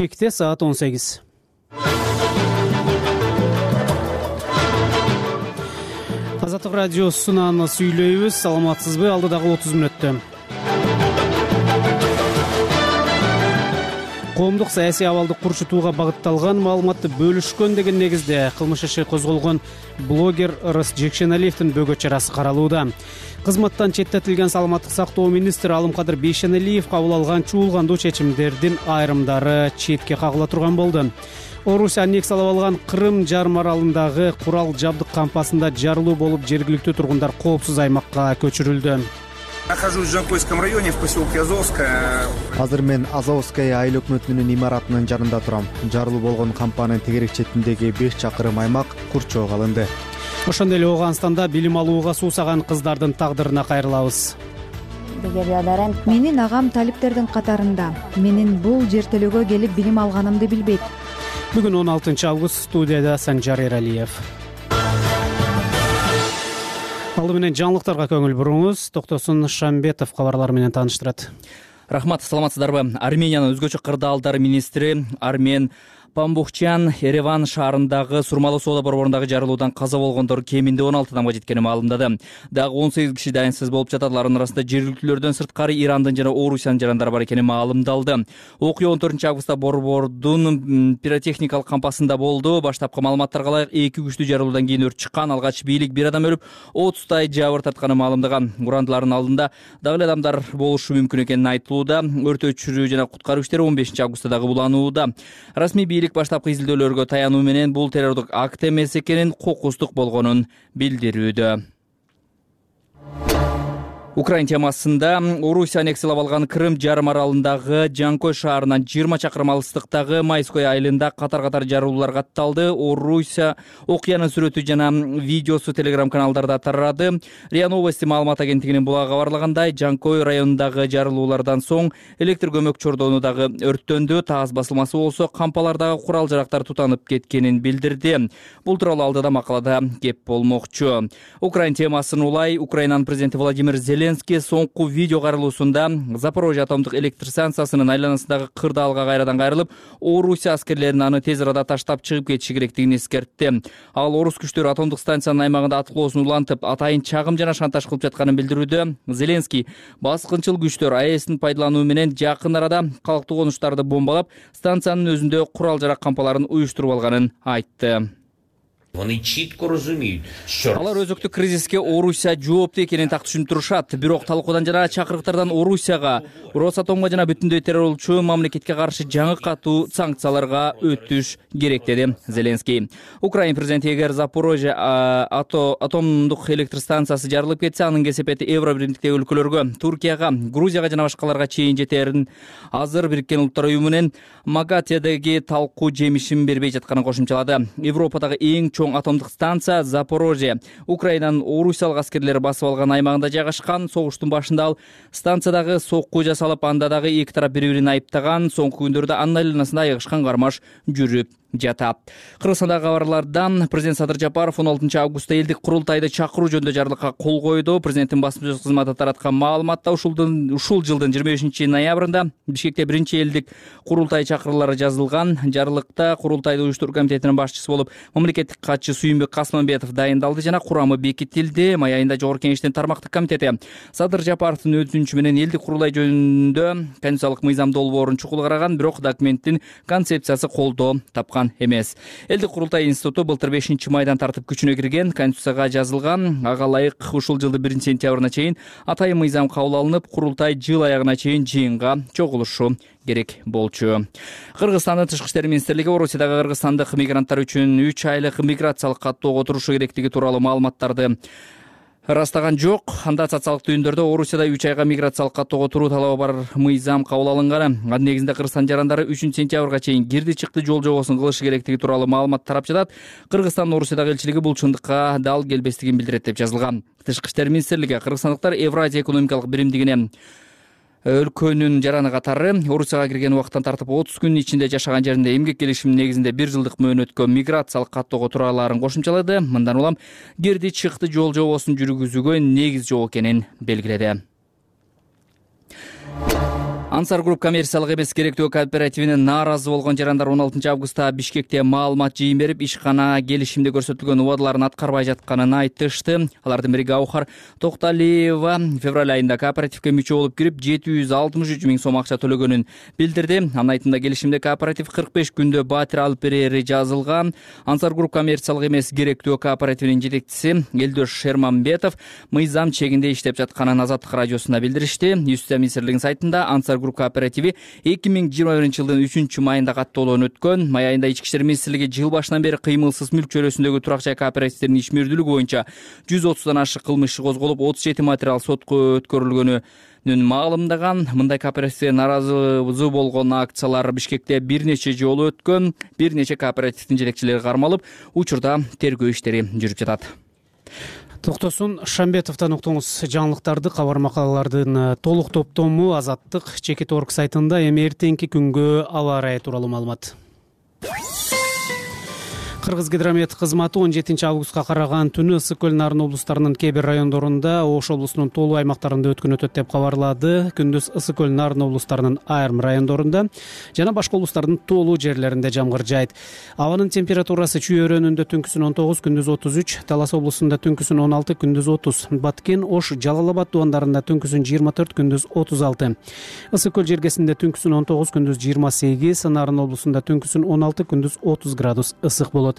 Кекте саат 18. Азаттык радиосунан сүйлөйбүз. Саламатсызбы? Алдыдагы 30 мүнөттө. Коомдук саясий абалды курчутууга багытталган маалыматты бөлүшкөн деген негизде кылмыш иши козголгон блогер Ырыс Жекшеналиевдин бөгөт чарасы каралууда. Кызматтан четтетилген саламаттык сактоо министри Алымкадыр Бейшеналиев кабыл алган чуулгандуу чечимдердин айрымдары четке кагыла турган болду. Орусия аннексиялап алган Крым жарым аралындагы курал жабдык кампасында жарылуу болуп, жергиликтүү тургундар коопсуз аймакка көчүрүлдү. Нахожусь в Жанкойском районе, в поселке Азовская. Азыр мен Азовская айыл өкмөтүнүн имаратынын жанында турам. Жарылуу болгон кампанын тегерек четиндеги 5 чакырым аймак курчоого алынды. Ошондой эле Ооганстанда билим алууга суусаган кыздардын тагдырына кайрылабыз. Менин агам талиптердин катарында. Менин бул жертөлөгө келип билим алганымды билбейт. Бүгүн 16 август, студияда Санжар Эралиев. Алды менен жаңылыктарга көңүл буруңуз. Токтосун Шамбетов кабарлар менен тааныштырат. Рахмат, саламатсыздарбы? Армениянын өзгөчө кырдаалдар министри Армен Памбухчан Ереван шаарындагы Сурмалуу соода борборундагы жарылуудан каза болгондор кеминде 16 адамга жеткенин маалымдады. Дагы 18 киши дайынсыз болуп жатат. Алардын арасында жергиликтүүлөрдөн сырткары Ирандын жана Орусиянын жарандары бар экени маалымдалды. Окуя 14 августта борбордун пиротехникалык кампасында болду. Баштапкы маалыматтарга ылайык 2 күчтүү жарылуудан кийин өрт чыккан. Алгач бийлик 1 адам өлүп, 30 жабыр тартканын маалымдаган. Урандылардын алдында дагы эле адамдар болушу мүмкүн экени айтылууда. Өрт өчүрүү жана куткаруу иштери 15 августта дагы буланууда. Расмий бийлик баштапкы изилдөөлөргө таянуу менен бул террордук акт эмес экенин, кокустук болгонун билдирүүдө. Украин темасында Орусия аннексиялап алган Крым жарым аралындагы Жанкой шаарынан 20 чакырым алыстыктагы Майской айылында катар-катар жарылуулар катталды. Орусия окуянын сүрөтү жана видеосу телеграм каналдарда тарады. РИА Новости маалымат агенттигинин булагы кабарлагандай, Жанкой районундагы жарылуулардан соң электр көмөк чордону дагы өрттөндү. Таз басылмасы болсо кампалардагы курал жарактар тутанып кеткенин билдирди. Бул тууралуу алдыда макалада кеп болмокчу. Украин темасын улай Украинанын президенти Владимир Зеленский соңку видео кайрылуусунда Запорожье атомдук электр станциясынын айланасындагы кырдаалга кайрадан кайрылып, Орусия аскерлерин аны тез арада таштап чыгып кетиши керектигин эскертти. Ал орус күчтөрү атомдук станциянын аймагында аткылоосун улантып, атайын чагым жана шантаж кылып жатканын билдирүүдө. Зеленский баскынчыл күчтөр АЭСтин пайдалануу менен жакын арада калктуу конуштарды бомбалап, станциянын өзүндө курал жарак кампаларын уюштуруп алганын айтты. Алар өзөктүк кризиске Орусия жооптуу экенин так түшүнүп турушат. Бирок талкуудан жана чакырыктардан Орусияга, Росатомго жана бүтүндөй террорчу мамлекетке каршы жаңы катуу санкцияларга өтүш керек, деди Зеленский. Украин президенти эгер Запорожье атомдук электр станциясы жарылып кетсе, анын кесепети Евро биримдиктеги өлкөлөргө, Туркияга, Грузияга жана башкаларга чейин жетерин азыр Бириккен Улуттар Уюму менен Магатедеги талкуу жемишин бербей жатканын кошумчалады. Европадагы эң чоң атомдук станция Запорожье Украинанын Орусиялык аскерлери басып алган аймагында жайгашкан. Согуштун башында ал станциядагы сокку жасалып, анда дагы эки тарап бири-бирин айыптаган. Соңку күндөрдө анын айланасында айыгышкан кармаш жүрүп жатат. Кыргызстандагы кабарлардан президент Садыр Жапаров 16 августта элдик курултайды чакыруу жөнүндө жарлыкка кол койду. Президенттин басма-сөз кызматы тараткан маалыматта ушул жылдын 25 ноябрында Бишкекте биринчи элдик курултай чакыруулары жазылган. Жарлыкта курултайды уюштуруу комитетинин башчысы болуп мамлекеттик катчы Сүйүнбек Касманбетов дайындалды жана курамы бекитилди. Май айында Жогорку Кеңештин тармактык комитети Садыр Жапаровдун өтүнүчү менен элдик курултай жөнүндө конституциялык мыйзам долбоорун чукул караган, бирок документтин концепциясы колдоо тапкан эмес. Элдик курултай институту былтыр 5-майдан тартып күчүнө кирген, конституцияга жазылган. Ага ылайык ушул жылдын 1-сентябрына чейин атайын мыйзам кабыл алынып, курултай жыл аягына чейин жыйынга чогулушу керек болчу. Кыргызстандын Тышкы иштер министрлиги Орусиядагы кыргызстандык мигранттар үчүн 3 айлык миграциялык каттоого турушу керектиги тууралуу маалыматтарды ырастаган жок. Анда социалдык түйүндөрдө Орусияда 3 айга миграциялык каттоого туруу талабы бар мыйзам кабыл алынган. Анын негизинде Кыргызстан жарандары 3-сентябрга чейин кирди-чыкты жол жобосун кылышы керектиги тууралуу маалымат тарап жатат. Кыргызстандын Орусиядагы элчилиги бул чындыкка дал келбестигин билдирет деп жазылган. Тышкы иштер министрлиги кыргызстандыктар Евразия экономикалык биримдигине өлкөнүн жараны катары Орусияга кирген убакыттан тартып 30 күн ичинде жашаган жеринде эмгек келишиминин негизинде 1 жылдык мөөнөткө миграциялык каттоого тураларын кошумчалады. Мындан улам кирди-чыкты жол жобосун жүргүзүүгө негиз жок экенин белгиледи. Ансар Групп коммерциялык эмес керектөө кооперативине нааразы болгон жарандар 16 августта Бишкекте маалымат жыйын берип, ишкана келишимде көрсөтүлгөн убадаларын аткарбай жатканын айтышты. Алардын бири Гаухар Токталиева февраль айында кооперативге мүчө болуп кирип 763 миң сом акча төлөгөнүн билдирди. Анын айтымында келишимде кооператив 45 күндө батир алып берери жазылган. Ансар Групп коммерциялык эмес керектөө кооперативинин жетекчиси Элдош Шермамбетов мыйзам чегинде иштеп жатканын Азаттык радиосуна билдиришти. Юстиция министрлигинин сайтында Ансар Групп кооперативи 2021 жылдын 3 майында каттоолон өткөн. Май айында Ички иштер министрлиги жыл башынан бери кыймылсыз мүлк чөйрөсүндөгү турак жай кооперативдердин ишмердүүлүгү боюнча 130дан ашык кылмыш иши козголуп, 37 материал сотко өткөрүлгөнүн маалымдаган. Мындай кооперативге нааразы болгон акциялар Бишкекте бир нече жолу өткөн. Бир нече кооперативдин жетекчилери кармалып, учурда тергөө иштери жүрүп жатат. Токтосун Шамбетовдон уктуңуз жаңылыктарды, кабар макалалардын толук топтому Азаттык Чекит.орг сайтында. Эми эртеңки күнгө аба ырайы тууралуу маалымат. Кыргызгидромет кызматы 17 августка караган түнү Ысык көл, Нарын облустарынын кээ бир райондорунда, Ош облусунун толуу аймактарында өткөн өтөт деп кабарлады. Күндүз Ысык көл, Нарын облустарынын айрым райондорунда жана башка облустардын толуу жерлеринде жамгыр жаайт. Абанын температурасы Чүй өрөөнүндө түнкүсүн 19, күндүз 33, Талас облусунда түнкүсүн 16, күндүз 30, Баткен, Ош, Жалал Абад дубандарында түнкүсүн 24, күндүз 36. Ысык көл жергесинде түнкүсүн 19, күндүз 28, Нарын облусунда түнкүсүн 16, күндүз 30 градус ысык болот.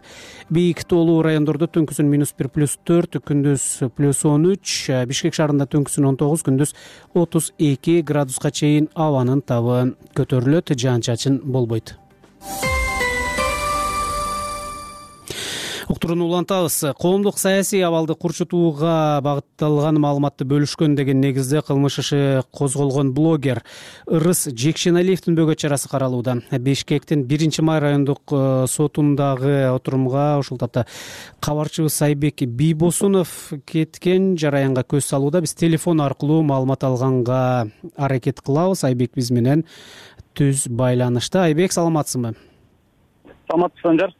Бийик толуу райондордо түнкүсүн -1, +4, күндүз +13, Бишкек шаарында түнкүсүн 19, күндүз 32 градуска чейин абанын табы көтөрүлөт, жаан-чачын болбойт. Уктурууну улантабыз. Коомдук саясий абалды курчутууга багытталган маалыматты бөлүшкөн деген негизде кылмыш иши козголгон блогер Ырыс Жекшеналиевдин бөгөт чарасы каралууда. Бишкектин 1 май райондук сотундагы отурумга ушул тапта кабарчыбыз Айбек Бийбосунов кеткен жараянга көз салууда. Биз телефон аркылуу маалымат алганга аракет кылабыз. Айбек биз менен түз байланышта. Айбек, саламатсызбы? Санжар.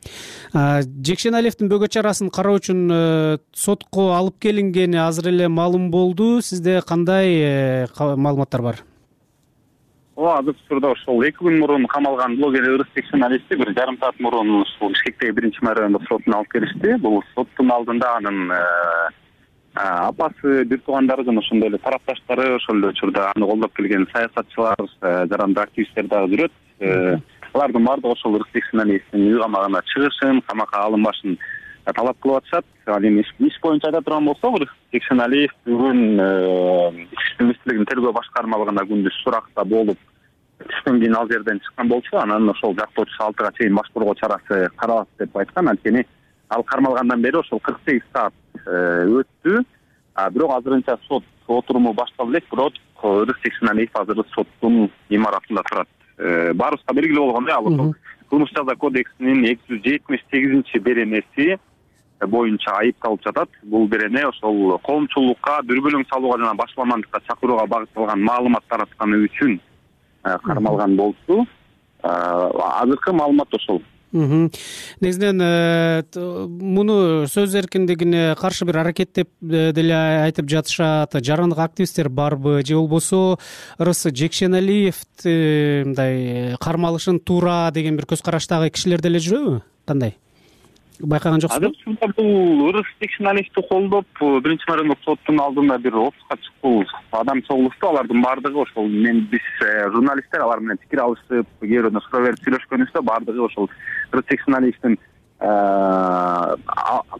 Жекшеналиевдин бөгөт чарасын кароо үчүн сотко алып келингени азыр эле маалым болду. Сизде кандай маалыматтар бар? Азыр учурда ошол 2 күн мурун камалган блогер Ырыс Жекшеналиевди 1,5 саат мурун ушул Бишкектеги 1 май райондук сотуна алып келишти. Бул соттун алдында анын апасы, бир туугандары жана ошондой эле тарапташтары, ошол эле учурда аны колдоп келген саясатчылар, жарандык активисттер дагы жүрөт. Алардын баардыгы ошол Ырыс Жекшеналиевдин үй камагына чыгышын, камакка алынбашын талап кылып атышат. Ал эми иш боюнча айта турган болсок, Ырыс Жекшеналиев бүгүн Ички иштер министрлигинин тергөө башкармалыгында күндүз суракта болуп, түштөн кийин ал жерден чыккан болчу. Анан ошол жактоочусу 6га чейин баш коргоо чарасы каралат деп айткан. Анткени ал кармалгандан бери ошол 48 саат өттү. Бирок азырынча сот отуруму башталып элек, бирок Ырыс Жекшеналиев азыр соттун имаратында турат. Баарыбызга белгилүү болгондой, ал ошол кылмыш жаза кодексинин 278 беренеси боюнча айыпталып жатат. Бул берене ошол коомчулукка дүрбөлөң салууга жана башаламандыкка чакырууга багытталган маалымат таратканы үчүн кармалган болчу. Азыркы маалымат ошол. Негизинен муну сөз эркиндигине каршы бир аракет деп деле айтып жатышат. Жарандык активисттер барбы же болбосо Ырыс Жекшеналиевди мындай кармалышын туура деген бир көз караштагы кишилер деле жүрөбү? Кандай? Байкаган жоксузбу? Азыр бул Ырыс Жекшеналиевди колдоп 1 май райондук соттун алдында бир 30га чыккул адам чогулушту. Алардын баардыгы ошол биз журналисттер алар менен пикир алышып, кээ бирөөнө суроо берип сүйлөшкөнүбүздө баардыгы ошол Ырыс Жекшеналиевдин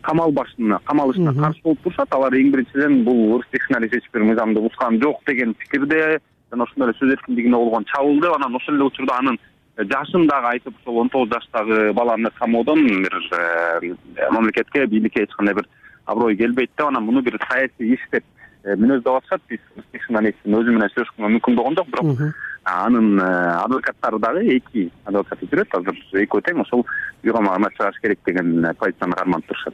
камалышына каршы болуп турушат. Алар эң биринчиден бул Ырыс Жекшеналиев эч бир мыйзамды бузган жок деген пикирде жана ошондой эле сөз эркиндигине болгон чабуул деп, анан ошол эле учурда анын жашын дагы айтып, ошол 19 жаштагы баланы камоодон бир мамлекетке, бийликке эч кандай бир аброй келбейт деп, анан муну бир саясий иш деп мүнөздөп атышат. Биз Жекшеналиевдин өзү менен сүйлөшкөнгө мүмкүн болгон жок, бирок анын адвокаттары дагы 2 адвокат жүрөт. Азыр экөө тең ошол үй камагына чыгыш керек деген позицияны карманып турушат.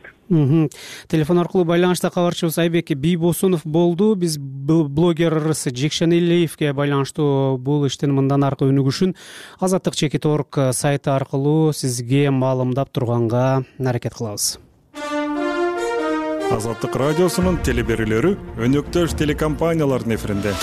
Телефон аркылуу байланышта кабарчыбыз Айбек Бийбосунов болду. Биз блогер Ырыс Жекшеналиевге байланыштуу бул иштин мындан аркы өнүгүшүн Азаттык Чекит.орг сайты аркылуу сизге маалымдап турганга аракет кылабыз. Азаттык радиосунун телеберүүлөрү өнөктөш телекомпаниялардын эфиринде.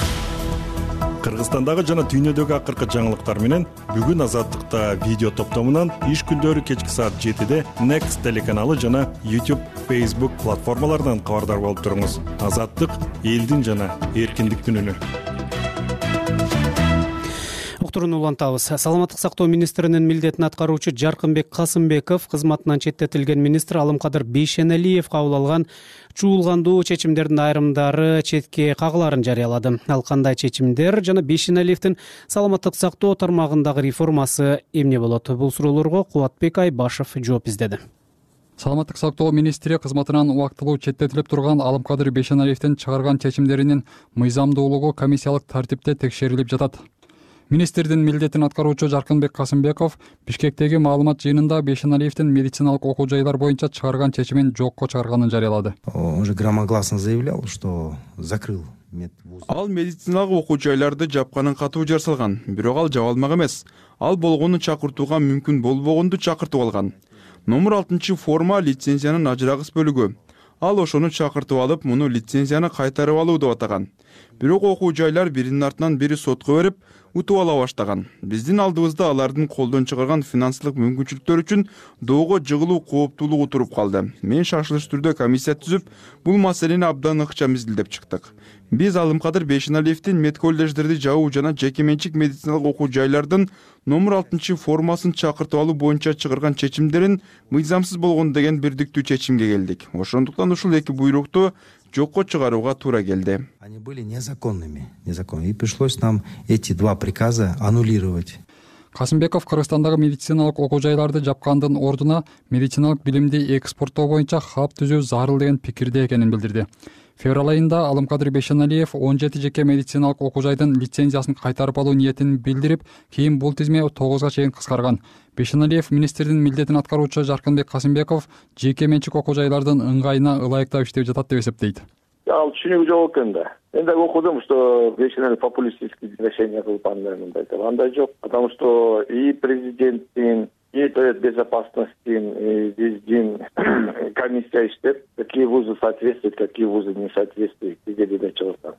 Кыргызстандагы жана дүйнөдөгү акыркы жаңылыктар менен бүгүн Азаттыкта видео топтомунан иш күндөрү кечки саат 7-де Next телеканалы жана YouTube, Facebook платформаларынан кабардар болуп туруңуз. Азаттык элдин жана эркиндиктин үнү. Уктуруну улантабыз. Саламаттык сактоо министринин милдетин аткаруучу Жаркынбек Касымбеков кызматынан четтетилген министр Алымкадыр Бейшеналиев кабыл алган чуулгандуу чечимдердин айрымдары четке кагыларын жарыялады. Ал кандай чечимдер жана Бейшеналиевдин саламаттык сактоо тармагындагы реформасы эмне болот? Бул суроолорго Кубатбек Айбашев жооп издеди. Саламаттык сактоо министри кызматынан убактылуу четтетилип турган Алымкадыр Бейшеналиевдин чыгарган чечимдеринин мыйзамдуулугу комиссиялык тартипте текшерилип жатат. Министрдин милдетин аткаруучу Жаркынбек Касымбеков Бишкектеги маалымат жыйынында Бейшеналиевдин медициналык окуу жайлар боюнча чыгарган чечимин жокко чыгарганын жарыялады. Он же громогласно заявлял, что закрыл медвуз. Ал медициналык окуу жайларды жапканын катуу жар салган, бирок ал жаба алмак эмес. Ал болгону чакыртууга мүмкүн болбогонду чакыртып алган. Номер 6 форма лицензиянын ажырагыс бөлүгү. Ал ошону чакыртып алып, муну лицензияны кайтарып алуу деп атаган. Бирок окуу жайлар биринин артынан бири сотко берип, утуп ала баштаган. Биздин алдыбызда алардын колдон чыгарган финансылык мүмкүнчүлүктөр үчүн доого жыгылуу кооптуулугу туруп калды. Мен шашылыш түрдө комиссия түзүп, бул маселени абдан ыкчам изилдеп чыктык. Биз Алымкадыр Бейшеналиевдин медколлеждерди жабуу жана жеке менчик медициналык окуу жайлардын номер 6 формасын чакыртып алуу боюнча чыгарган чечимдерин мыйзамсыз болгон деген бирдиктүү чечимге келдик. Ошондуктан ушул эки буйрукту жокко чыгарууга туура келди. Они были незаконными. И пришлось нам эти два приказа аннулировать. Касымбеков Кыргызстандагы медициналык окуу жайларды жапкандын ордуна медициналык билимди экспорттоо боюнча хаб түзүү зарыл деген пикирде экенин билдирди. Февраль айында Алымкадыр Бейшеналиев 17 жеке медициналык окуу жайдын лицензиясын кайтарып алуу ниетин билдирип, кийин бул тизме 9га чейин кыскарган. Бейшеналиев министрдин милдетин аткаруучу Жаркынбек Касымбеков жеке менчик окуу жайлардын ыңгайына ылайыктап иштеп жатат деп эсептейт. Ал түшүнүгү жок экен да. Мен дагы окудум, что Бейшеналиев популистические решения кылып андай жок. Потому что и президенттин, и безопасностью биздин комиссия иштеп, какие вузы соответствуют, какие вузы не соответствуют, где чыгып.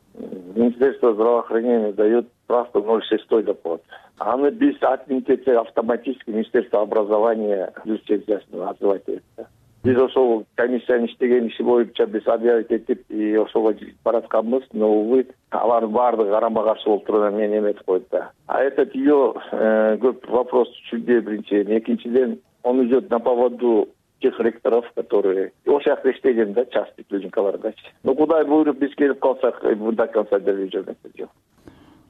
Министерство здравоохранения дает просто 0,6 доклад. Аны биз отменить автоматически Министерство образования лицензиясын отзывать этти. Биз ошол комиссиянын иштеген иши боюнча биз объявить этип, и ошого баратканбыз, но увы, алардын баардыгы карама каршы болуп турган мени эметип койду да. А этот ее көп вопрос түшүнбөй биринчиден, экинчиден он идет на поводу тех ректоров, которые ошол жакта иштеген да, частный клиникалардачы. Ну кудай буйруп биз келип калсак, до конца делип жүрмөкчү.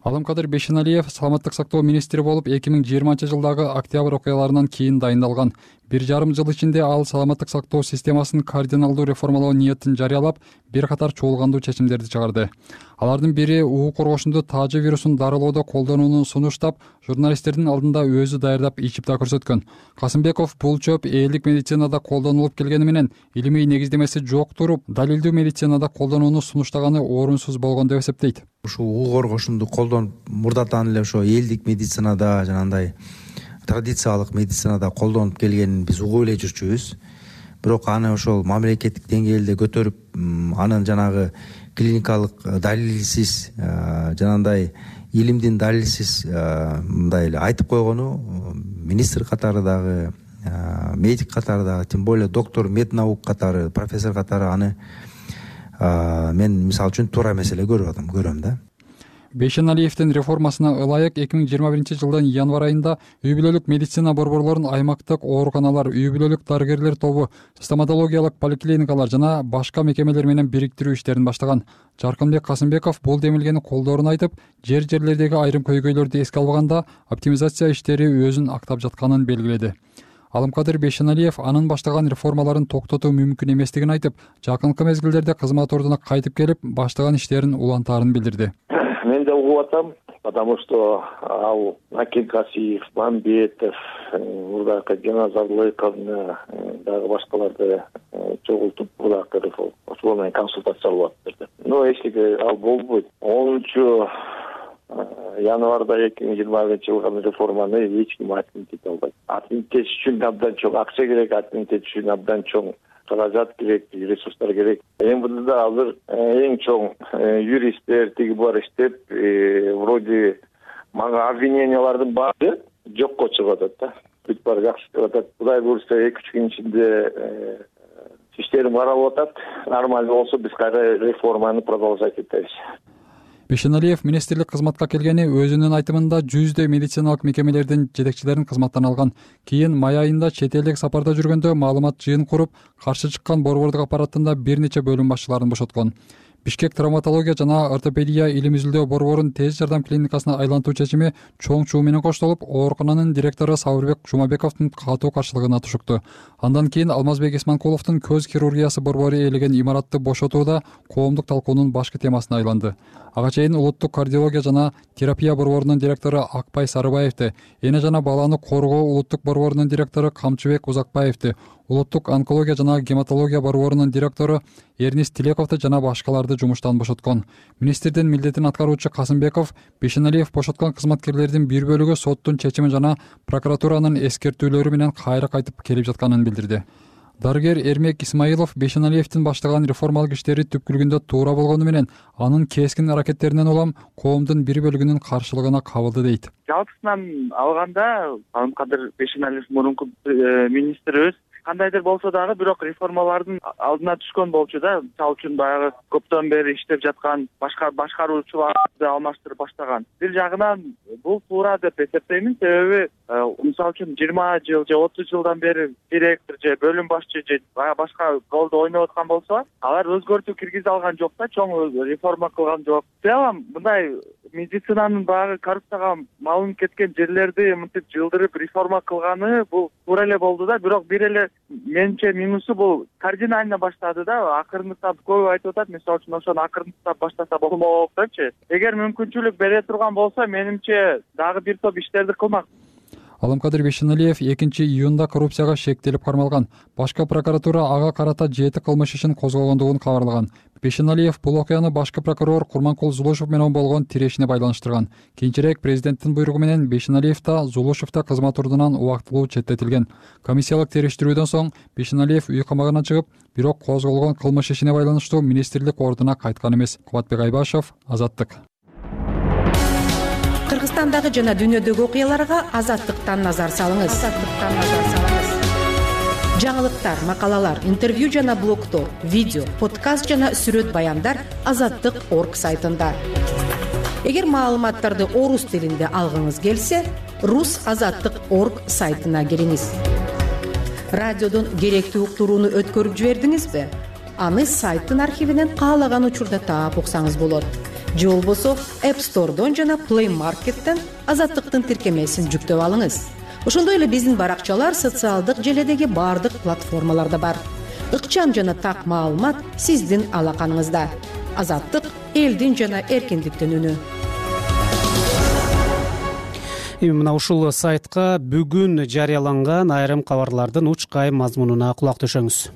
Алымкадыр Бейшеналиев саламаттык сактоо министри болуп 2020 жылдагы октябрь окуяларынан кийин дайындалган. 1,5 жыл ичинде ал саламаттык сактоо системасын кардиналдуу реформалоо ниетин жарыялап, бир катар чуулгандуу чечимдерди чыгарды. Алардын бири уу коргошунду таажы вирусун дарылоодо колдонууну сунуштап, журналисттердин алдында өзү даярдап ичип да көрсөткөн. Касымбеков бул чөп элдик медицинада колдонулуп келгени менен илимий негиздемеси жок туруп, далилдүү медицинада колдонууну сунуштаганы орунсуз болгон деп эсептейт. Ушул уу коргошунду колдонуп, мурдатан эле ошо элдик медицинада жанагындай традициялык медицинада колдонуп келгенин биз угуп эле жүрчүбүз. Бирок аны ошол мамлекеттик деңгээлде көтөрүп, анын жанагы клиникалык далилсиз, жанагындай илимдин далилсиз мындай эле айтып койгону министр катары дагы, медик катары дагы, тем более доктор меднаук катары, профессор катары аны мен мисалы үчүн туура эмес эле көрөм да. Бейшеналиевдин реформасына ылайык 2021 жылдын январь айында үй бүлөлүк медицина борборлорун аймактык ооруканалар, үй бүлөлүк дарыгерлер тобу, стоматологиялык поликлиникалар жана башка мекемелер менен бириктирүү иштерин баштаган. Жаркынбек Касымбеков бул демилгени колдоорун айтып, жерлердеги айрым көйгөйлөрдү эске албаганда оптимизация иштери өзүн актап жатканын белгиледи. Алымкадыр Бейшеналиев анын баштаган реформаларын токтотуу мүмкүн эместигин айтып, жакынкы мезгилдерде кызмат ордуна кайтып келип, баштаган иштерин улантаарын билдирди. Мен да угуп атам, потому что ал Акин Касиев, Мамбетов, мурдакы Жаназарлыковна, дагы башкаларды чогултуп мурдакы реформа, ошол менен консультация алып атышты. Но эчтеке ал болбойт. 10 январда 2020 жылгы реформаны эч ким отменить ете албайт. Отменить үчүн абдан чоң акча керек, отменить үчүн абдан чоң каражат керек, ресурстар керек. МВДда азыр эң чоң юристтер тиги булар иштеп, вроде мага обвинениялардын баары жокко чыгып атат да. Бүт баары жакшы деп атат. Кудай буйрса 2-3 күн ичинде иштерим каралып атат. Нормально болсо биз кайра реформаны продолжать этебиз. Бейшеналиев министрлик кызматка келгени өзүнүн айтымында жүздөй медициналык мекемелердин жетекчилерин кызматтан алган. Кийин май айында чет элдик сапарда жүргөндө маалымат жыйын куруп, каршы чыккан борбордук аппараттында бир нече бөлүм башчыларын бошоткон. Бишкек травматология жана ортопедия илим изилдөө борборун тез жардам клиникасына айлантуу чечими чоң чуу менен коштолуп, оорукананын директору Сабырбек Жумабековдун катуу каршылыгына тушукту. Андан кийин Алмазбек Исманкуловдун көз хирургиясы борбору ээлеген имаратты бошотууда коомдук талкуунун башкы темасына айланды. Ага чейин улуттук кардиология жана терапия борборунун директору Акпай Сарыбаевди, эне жана баланы коргоо улуттук борборунун директору Камчыбек Узакбаевди, улуттук онкология жана гематология борборунун директору Эрнис Тилековду жана башкаларды жумуштан бошоткон. Министрдин милдетин аткаруучу Касымбеков Бейшеналиев бошоткон кызматкерлердин бир бөлүгү соттун чечими жана прокуратуранын эскертүүлөрү менен кайра кайтып келип жатканын билдирди. Дарыгер Эрмек Исмаилов Бейшеналиевдин баштаган реформалык иштери түпкүлүгүндө туура болгону менен анын кескин аракеттеринен улам коомдун бир бөлүгүнүн каршылыгына кабылды дейт. Жалпысынан алганда Алымкадыр Бейшеналиев мурунку министрибиз кандайдыр болсо дагы бирок реформалардын алдына түшкөн болчу да. Мисалы үчүн баягы көптөн бери иштеп жаткан башкаруучуларды алмаштырып баштаган. Бир жагынан бул туура деп эсептеймин, себеби мисалы үчүн 20 жыл же 30 жылдан бери директор же бөлүм башчы же башка ролду ойноп аткан болсо, алар өзгөртүү киргизе алган жок да, чоң реформа кылган жок. Целом мындай медицинанын баягы коррупцияга малынып кеткен жерлерди мынтип жылдырып реформа кылганы бул туура эле болду да, бирок бир эле менимче минусу бул кардинально баштады да. Акырындап көп айтып атат, мисалы үчүн ошону акырындап баштаса болмок депчи. Эгер мүмкүнчүлүк бере турган болсо, менимче дагы бир топ иштерди кылмак. Алымкадыр Бейшеналиев 2-июнда коррупцияга шектелип кармалган. Башкы прокуратура ага карата 7 кылмыш ишин козгогондугун кабарлаган. Бейшеналиев бул окуяны башкы прокурор Курманкул Зулушев менен болгон тирешине байланыштырган. Кийинчерээк президенттин буйругу менен Бейшеналиев да Зулушев да кызмат ордунан убактылуу четтетилген. Комиссиялык териштирүүдөн соң Бейшеналиев үй камагына чыгып, бирок козголгон кылмыш ишине байланыштуу министрлик ордуна кайткан эмес. Кубатбек Айбашев, Азаттык. Кыргызстандагы жана дүйнөдөгү окуяларга Азаттыктан назар салыңыз. Жаңылыктар, макалалар, интервью жана блогдор, видео, подкаст жана сүрөт баяндар Азаттык.орг сайтында. Эгер маалыматтарды орус тилинде алгыңыз келсе, rusazаттык.орг сайтына кириңиз. Радиодон керектүү уктурууну өткөрүп жибердиңизби? Аны сайттын архивинен каалаган учурда таап уксаңыз болот. Же болбосо App Store'дон жана Play Market'тен Азаттыктын тиркемесин жүктөп алыңыз. Ошондой эле биздин баракчалар социалдык желедеги бардык платформаларда бар. Ыкчам жана так маалымат сиздин алаканыңызда. Азаттык — элдин жана эркиндиктин үнү. Мына ушул сайтка бүгүн жарыяланган айрым кабарлардын учкайым мазмунуна кулак төшөңүз.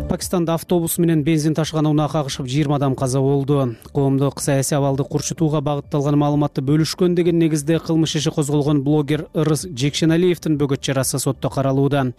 Пакистанда автобус менен бензин ташыган унаа кагышып 20 адам каза болду. Коомдук саясий абалды курчутууга багытталган маалыматты бөлүшкөн деген негизде кылмыш иши козголгон блогер Ырыс Жекшеналиевдин бөгөт чарасы сотто каралууда.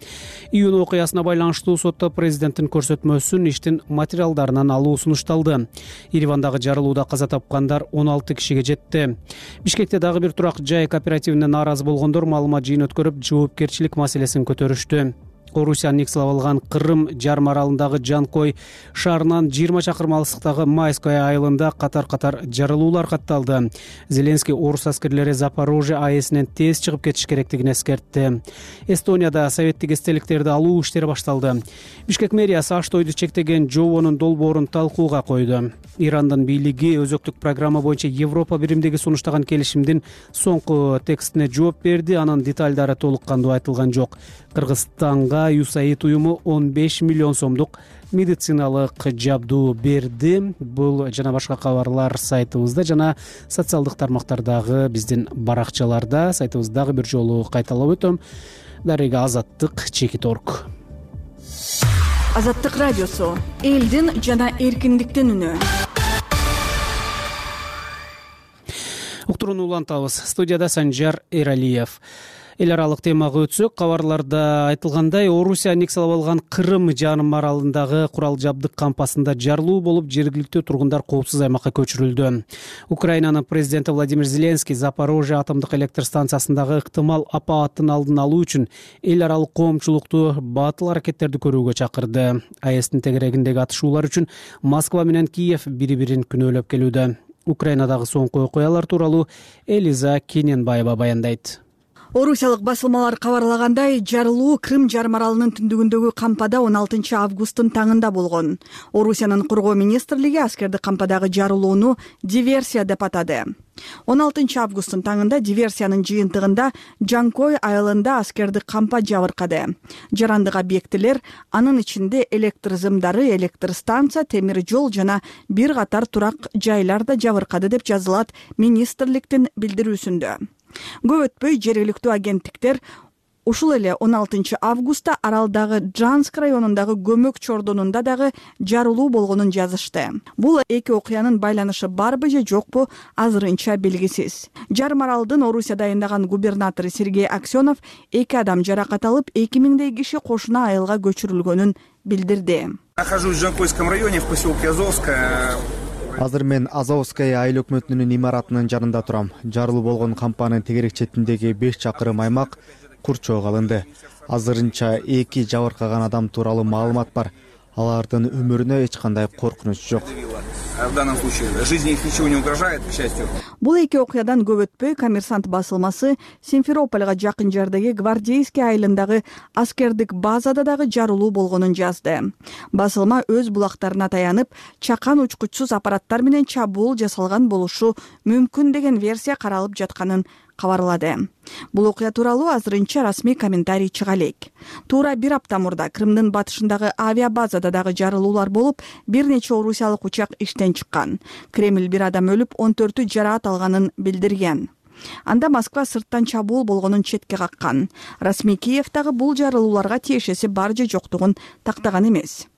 Июнь окуясына байланыштуу сотто президенттин көрсөтмөсүн иштин материалдарынан алуу сунушталды. Еревандагы жарылууда каза тапкандар 16 кишиге жетти. Бишкекте дагы бир турак жай кооперативине нааразы болгондор маалымат жыйын өткөрүп, жоопкерчилик маселесин көтөрүштү. Орусия негиз алган Кырым жарым аралындагы Жанкой шаарынан 20 чакырым алыстыктагы Майская айылында катар-катар жарылуулар катталды. Зеленский орус аскерлери Запорожье АЭСинен тез чыгып кетиш керектигин эскертти. Эстонияда советтик эстеликтерди алуу иштери башталды. Бишкек мэриясы аш-тойду чектеген жобонун долбоорун талкууга койду. Ирандын бийлиги өзөктүк программа боюнча Европа биримдиги сунуштаган келишимдин соңку текстине жооп берди. Анын деталдары толук кандуу айтылган жок. Кыргызстанга USAID уюму 15 миллион сомдук медициналык жабдуу берди. Бул жана башка кабарлар сайтыбызда жана социалдык тармактардагы биздин баракчаларда. Сайтыбызды дагы бир жолу кайталап өтөм. Дарыга Азаттык.org. Азаттык радиосу элдин жана эркиндиктин үнү. Уктурууну улантабыз. Студияда Санжар Эралиев. Эл аралык темага өтсөк, кабарларда айтылгандай, Орусия аннексиялап алган Крым жарым аралындагы курал жабдык кампасында жарылуу болуп, жергиликтүү тургундар коопсуз аймакка көчүрүлдү. Украинанын президенти Владимир Зеленский Запорожье атомдук электр станциясындагы ыктымал апааттын алдын алуу үчүн эл аралык коомчулукту батыл аракеттерди көрүүгө чакырды. АЭСтин тегерегиндеги атышуулар үчүн Москва менен Киев бири-бирин күнөөлөп келүүдө. Украинадагы соңку окуялар тууралуу Элиза Кененбаева баяндайт. Орусиялык басылмалар кабарлагандай, жарылуу Крым жарым аралынын түндүгүндөгү кампада 16 августтун таңында болгон. Орусиянын коргоо министрлиги аскерди кампадагы жарылууну диверсия деп атады. 16 августтун таңында диверсиянын жыйынтыгында Жанкой айылында аскерди кампа жабыркады. Жарандык объектилер, анын ичинде электр зымдары, электр станция, темир жол жана бир катар турак жайлар да жабыркады деп жазылат министрликтин билдирүүсүндө. Көп өтпөй жергиликтүү агенттиктер ушул эле 16 августта аралдагы Джанск районундагы көмөк чордонунда дагы жарылуу болгонун жазышты. Бул эки окуянын байланышы барбы же жокпу азырынча белгисиз. Жарым аралдын Орусия дайындаган губернатору Сергей Аксенов 2 адам жаракат алып, 2000дей киши кошуна айылга көчүрүлгөнүн билдирди. Нахожусь в Жанкойском районе в поселке Азовская. Азыр мен Азовская айыл өкмөтүнүн имаратынын жанында турам. Жарылуу болгон кампанын тегерек четиндеги 5 чакырым аймак курчоого алынды. Азырынча 2 жабыркаган адам тууралуу маалымат бар. Алардын өмүрүнө эч кандай коркунуч жок. В данном случае жизни их ничего не угрожает, к счастью. Бул эки окуядан көп өтпөй Коммерсант басылмасы Симферопольга жакын жардагы Гвардейский айылындагы аскердик базада дагы жарылуу болгонун жазды. Басылма өз булактарына таянып, чакан учкучсуз аппараттар менен чабуул жасалган болушу мүмкүн деген версия каралып жатканын кабарлады. Бул окуя тууралуу азырынча расмий комментарий чыга элек. Туура бир апта мурда Крымдын батышындагы авиабазада дагы жарылуулар болуп, бир нече орусиялык учак иштен чыккан. Кремль бир адам өлүп, 14 жараат алганын билдирген. Анда Москва сырттан чабуул болгонун четке каккан. Расмий Киев дагы бул жарылууларга тиешеси бар же жоктугун тактаган эмес.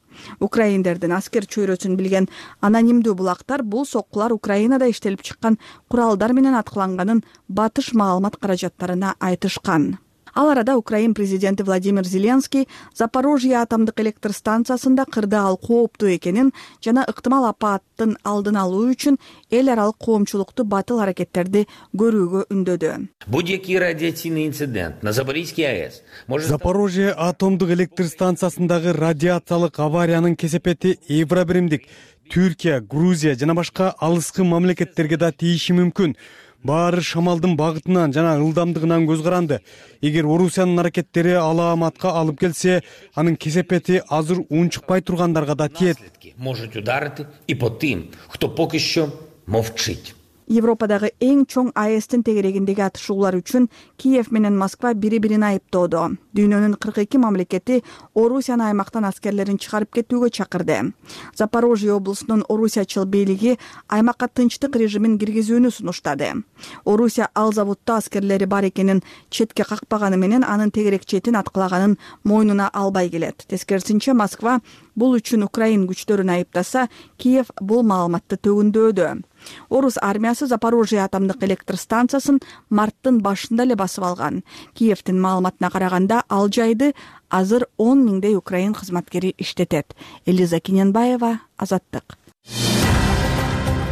Украиндердин аскер чөйрөсүн билген анонимдүү булактар бул соккулар Украинада иштелип чыккан куралдар менен аткыланганын батыш маалымат каражаттарына айтышкан. Ал арада Украин президенти Владимир Зеленский Запорожье атомдук электр станциясында кырдаал кооптуу экенин жана ыктымал апааттын алдын алуу үчүн эл аралык коомчулукту батыл аракеттерди көрүүгө үндөдү. Будь-який радиацийный инцидент на Запорожской АЭС может... Запорожье атомдук электр станциясындагы радиациялык авариянын кесепети Евробиримдик, Түркия, Грузия жана башка алыскы мамлекеттерге да тийиши мүмкүн. Баары шамалдын багытынан жана ылдамдыгынан көз каранды. Эгер Орусиянын аракеттери алааматка алып келсе, анын кесепети азыр унчукпай тургандарга да тиет. Может ударить и по тем, кто пока еще мовчит. Европадагы эң чоң АЭСтин тегерегиндеги атышуулар үчүн Киев менен Москва бири-бирин айыптоодо. Дүйнөнүн 42 мамлекети Орусияны аймактан аскерлерин чыгарып кетүүгө чакырды. Запорожье облусунун орусиячыл бийлиги аймакка тынчтык режимин киргизүүнү сунуштады. Орусия ал заводдо аскерлери бар экенин четке какпаганы менен анын тегерек четин аткылаганын мойнуна албай келет. Тескерисинче Москва бул үчүн Украин күчтөрүн айыптаса, Киев бул маалыматты төгүндөөдү. Орус армиясы Запорожье атомдук электр станциясын марттын башында эле басып алган. Киевдин маалыматына караганда, ал жайды азыр 10 миңдей Украин кызматкери иштетет. Элиза Кененбаева, Азаттык.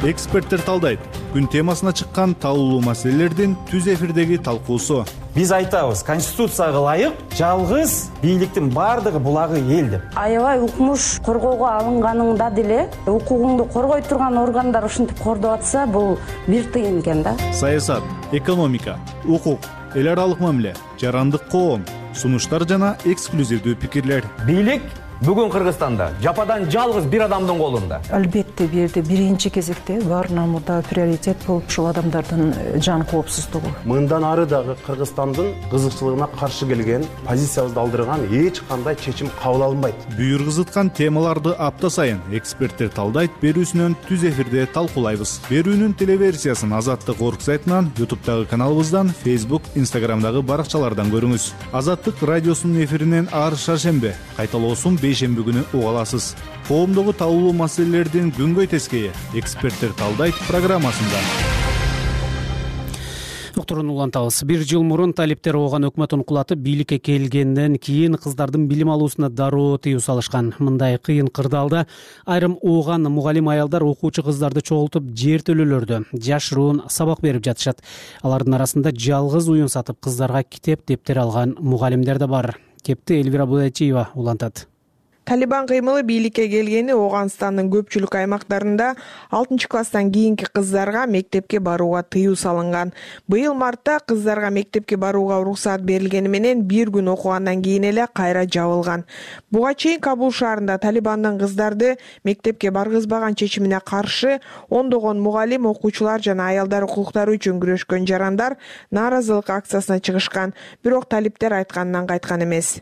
Эксперттер талдайт. Күн темасына чыккан талкуулуу маселелердин түз эфирдеги талкуусу. Биз айтабыз, конституцияга ылайык жалгыз бийликтин баардыгы булагы эл деп. Аябай укмуш коргоого алынганыңда деле укугуңду коргой турган органдар ушинтип кордоп атса, бул бир тыйын экен да. Саясат, экономика, укук, эл аралык мамиле, жарандык коом, сунуштар жана эксклюзивдүү пикирлер. Бийлик бүгүн Кыргызстанда жападан жалгыз бир адамдын колунда. Албетте бирде биринчи кезекте баарынан мурда приоритет болуп ушул адамдардын жан коопсуздугу. Мындан ары дагы Кыргызстандын кызыкчылыгына каршы келген, позициябызды алдырган эч кандай чечим кабыл алынбайт. Бүйүр кызыткан темаларды апта сайын эксперттер талдайт берүүсүнөн түз эфирде талкуулайбыз. Берүүнүн телеверсиясын Азаттык орг сайтынан, YouTube'дагы каналыбыздан, Facebook, Instagram'дагы баракчалардан көрүңүз. Азаттык радиосунун эфиринен ар шаршембе, кайталоосун бейшемби күнү уга аласыз. Коомдогу талкуулуу маселелердин күнгөй тескейи эксперттер талдайт программасында. доктурун улантабыз. 1 жыл мурун талиптер ооган өкмөт ункулатып бийликке келгенден кийин кыздардын билим алуусуна дароо тыюу салышкан. Мындай кыйын кырдаалда айрым ооган мугалим аялдар окуучу кыздарды чогултуп жертөлөлөрдө жашыруун сабак берип жатышат. Алардын арасында жалгыз уюн сатып кыздарга китеп дептер алган мугалимдер да бар. Кепти Элвира Будайчиева улантат. Талибан кыймылы бийликке келгени Ооганстандын көпчүлүк аймактарында 6-класстан кийинки кыздарга мектепке барууга тыюу салынган. Быйыл мартта кыздарга мектепке барууга уруксаат берилгени менен бир күн окугандан кийин эле кайра жабылган. Буга чейин Кабул шаарында Талибандын кыздарды мектепке баргызбаган чечимине каршы ондогон мугалим, окуучулар жана аялдар укуктары үчүн күрөшкөн жарандар нааразылык акциясына чыгышкан. Бирок талиптер айтканынан кайткан эмес.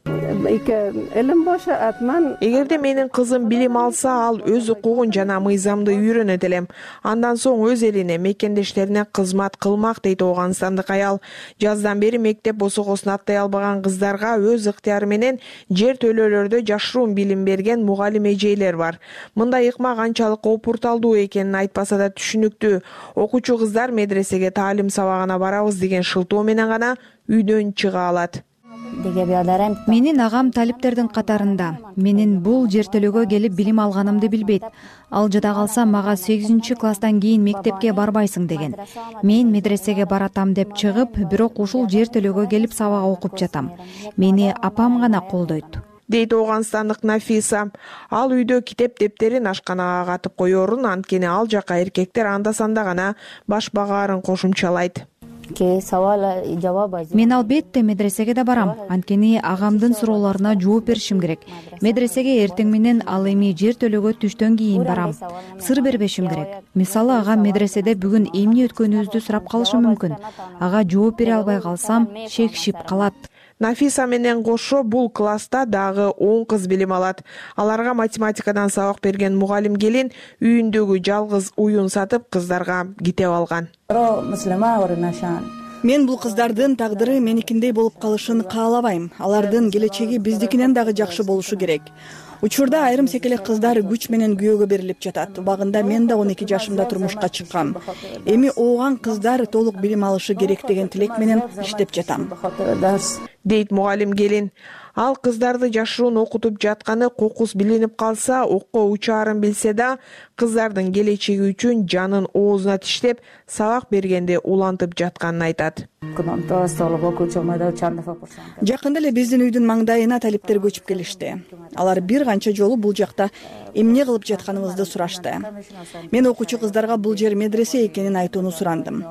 Эгерде менин кызым билим алса, ал өз укугун жана мыйзамды үйрөнөт элем. Андан соң өз элине, мекендештерине кызмат кылмак, дейт Ооганстандык аял. Жаздан бери мектеп босогосун аттай албаган кыздарга өз ыктыяры менен жер төлөлөрдө жашыруун билим берген мугалим эжейлер бар. Мындай ыкма канчалык опурталдуу экенин айтпаса да түшүнүктүү. Окуучу кыздар медресеге таалим сабагына барабыз деген шылтоо менен гана үйдөн чыга алат. Менин агам талиптердин катарында. Менин бул жертөлөгө келип билим алганымды билбейт. Ал жада калса мага 8-класстан кийин мектепке барбайсың деген. Мен медресеге баратам деп чыгып, бирок ушул жертөлөгө келип сабак окуп жатам. Мени апам гана колдойт, дейт Ооганстандык Нафиса. Ал үйдө китеп дептерин ашканага катып коерун, анткени ал жака эркектер анда-санда гана баш багаарын кошумчалайт. Мен албетте медресеге да барам, анткени агамдын суроолоруна жооп беришим керек. Медресеге эртең менен, ал эми жертөлөгө түштөн кийин барам. Сыр бербешим керек. Мисалы, агам медреседе бүгүн эмне өткөнүбүздү сурап калышы мүмкүн. Ага жооп бере албай калсам, шекшип калат. Нафиса менен кошо бул класста дагы 10 кыз билим алат. Аларга математикадан сабак берген мугалим келин үйүндөгү жалгыз уюн сатып кыздарга китеп алган. Мен бул кыздардын тагдыры меникиндей болуп калышын каалабайм. Алардын келечеги биздикинен дагы жакшы болушу керек. Учурда айрым секелек кыздар күч менен күйөөгө берилип жатат. Убагында мен да 12 жашымда турмушка чыккам. Эми ооган кыздар толук билим алышы керек деген тилек менен иштеп жатам, дейт мугалим келин. Ал кыздарды жашыруун окутуп жатканы кокус билинип калса, окко учаарын билсе да, кыздардын келечеги үчүн жанын оозуна тиштеп, сабак бергенде улантып жатканын айтат. Жакында эле биздин үйдүн маңдайына талиптер көчүп келишти. Алар бир канча жолу бул жакта эмне кылып жатканыбызды сурашты. Мен окуучу кыздарга бул жер медресе экенин айтууну сурандым,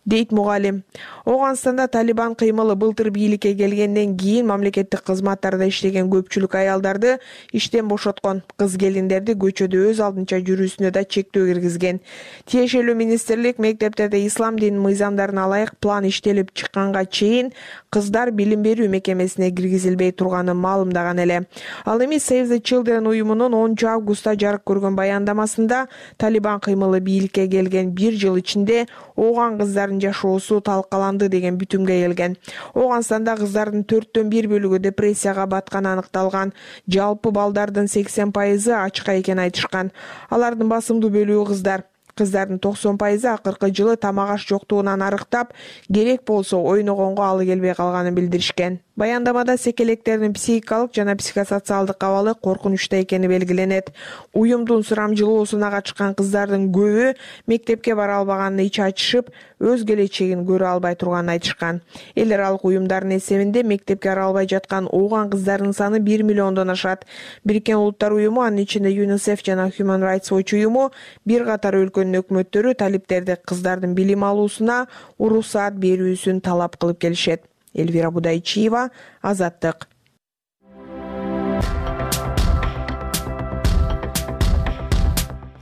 дейт мугалим. Ооганстанда Талибан кыймылы былтыр бийликке келгенден кийин мамлекеттик кызматтарда иштеген көпчүлүк аялдарды иштен бошоткон. Кыз келиндерди көчөдө өз алдынча жүрүүсүнө да чектөө киргизген. Тиешелүү министрлик мектептерде ислам динин мыйзамдарына ылайык план иштелип чыкканга чейин кыздар билим берүү мекемесине киргизилбей турганын маалымдаган эле. Ал эми Save the Children уюмунун 10 августта жарык көргөн баяндамасында Талибан кыймылы бийликке келген 1 жыл ичинде ооган кыздардын жашоосу талкаланды деген бүтүмгө келген. Ооганстанда кыздардын 4/1 бөлүгү депрессияга батканы аныкталган. Жалпы балдардын 80% ачка экенин айтышкан. Алардын басымдуу бөлүгү кыздар. Кыздардын 90% акыркы жылы тамак аш жоктугунан арыктап, керек болсо ойногонго алы келбей калганын билдиришкен. Баяндамада секелектердин психикалык жана психосоциалдык абалы коркунучта экени белгиленет. Уюмдун сурамжылоосуна катышкан кыздардын көбү мектепке бара албаганын ич ачышып, өз келечегин көрө албай турганын айтышкан. Эл аралык уюмдардын эсебинде мектепке бара албай жаткан ооган кыздардын саны 1 миллиондон ашат. Бириккен Улуттар уюму, анын ичинде ЮНИСЕФ жана Human Rights Watch уюму бир катар өлкөнүн өкмөттөрү талиптерди кыздардын билим алуусуна уруксаат берүүсүн талап кылып келишет. Элвира Будайчиева, Азаттык.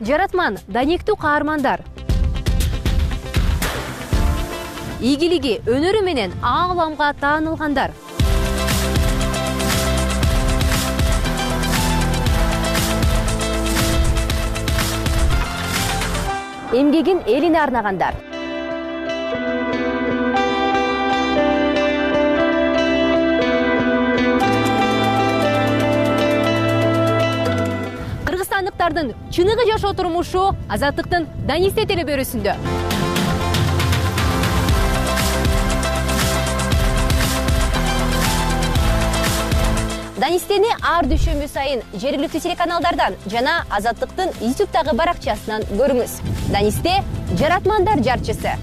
Жаратман, данектүү каармандар. Ийгилиги, өнөрү менен ааламга таанылгандар. Эмгегин элине арнагандар. Кыргызстандыктардын чыныгы жашоо турмушу Азаттыктын Данисте телебөрүсүндө. Данистени ар дүйшөмбү сайын жергиликтүү телеканалдардан жана Азаттыктын YouTube'дагы баракчасынан көрүңүз. Данисте жаратмандар жарчысы